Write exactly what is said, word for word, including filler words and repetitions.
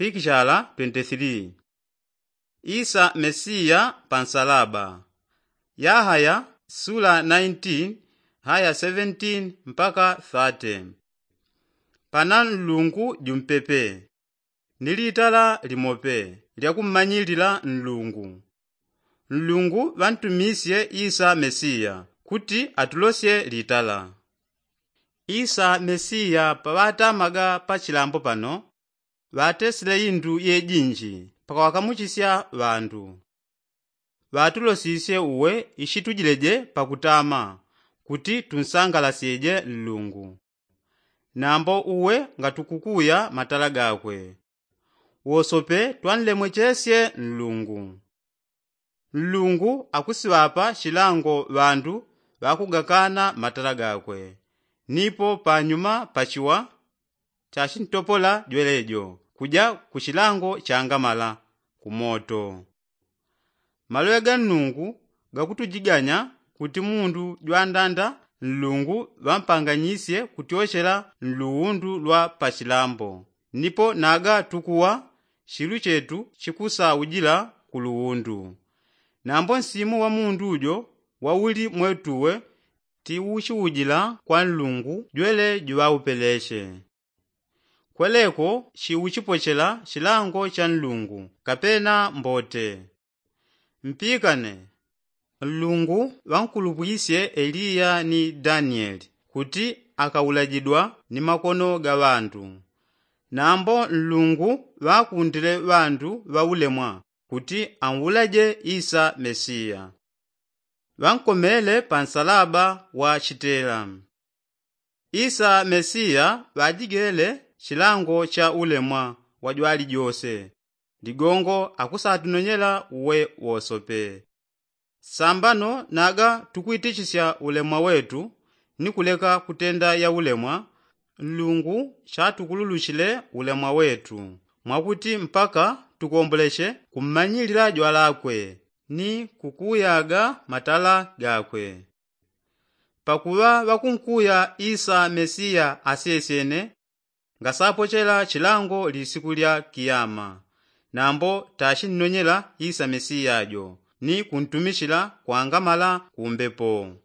Pikichala twenty three. Isa mesiya pa nsalaba. Yahaya sula nineteen haya seventeen mpaka thirty. Pana nlungu jumpepe ni litala limope lyakummanyilila nlungu. Nlungu ŵantumisye isa mesiya kuti atulosye litala. Isa mesiya paŵatamaga pa chilambo pano ŵatesile indu yejinji pakuŵakamuchisya ŵandu. Ŵatulosisye uwe ishitujileje pakutama kuti tunsangalasyeje nlungu. Nambo uwe ngatukukuya matala gakwe wosope twanlemwechesye nlungu. Nlungu akusiŵapa shilango ŵandu ŵakugakana matala gakwe. Nipo panyuma pachiwa chashintopola jwelejo kuja kushilango changamala kumoto. Maloŵe ga nlungu gakutujiganya kuti mundu jwandanda nlungu ŵampanganyisye kutyochela nluwundu lwa pashilambo. Nipo naga tukuwa shilu chetu chikusaujila kuluwundu. Nambo nsimu wa mundu ujo wauli mwetuwe tiuchiujila kwa nlungu jwele juŵaupeleche. Kweleko chiuchipochela chilango cha nlungu kapena mbote. Mpikane nlungu ŵankulupwisye eliya ni danieli kuti akaulajidwa ni makono ga ŵandu. Nambo nlungu ŵakundile ŵandu ŵaulemwa kuti aulaje isa mesiya. Ŵankomele pa nsalaba wa chitela. Isa mesiya ŵajigele chilango cha ulemwa wajwalijose. Ligongo akusatunonyela uwe wosope. Sambano naga tukwitichisya ulemwa wetu ni kuleka kutenda ya ulemwa. Nlungu chatukululuchile ulemwa wetu mwakuti mpaka tukomboleche kummanyilila jwalakwe ni kukuyaga matala gakwe. Pakuŵa ŵakunkuya isa mesiya asyesyene ngasapochela chilango lisiku lya kiyama. Nambo tashinnonyela isa mesiya jo ni kuntumichila kwangamala kumbepo.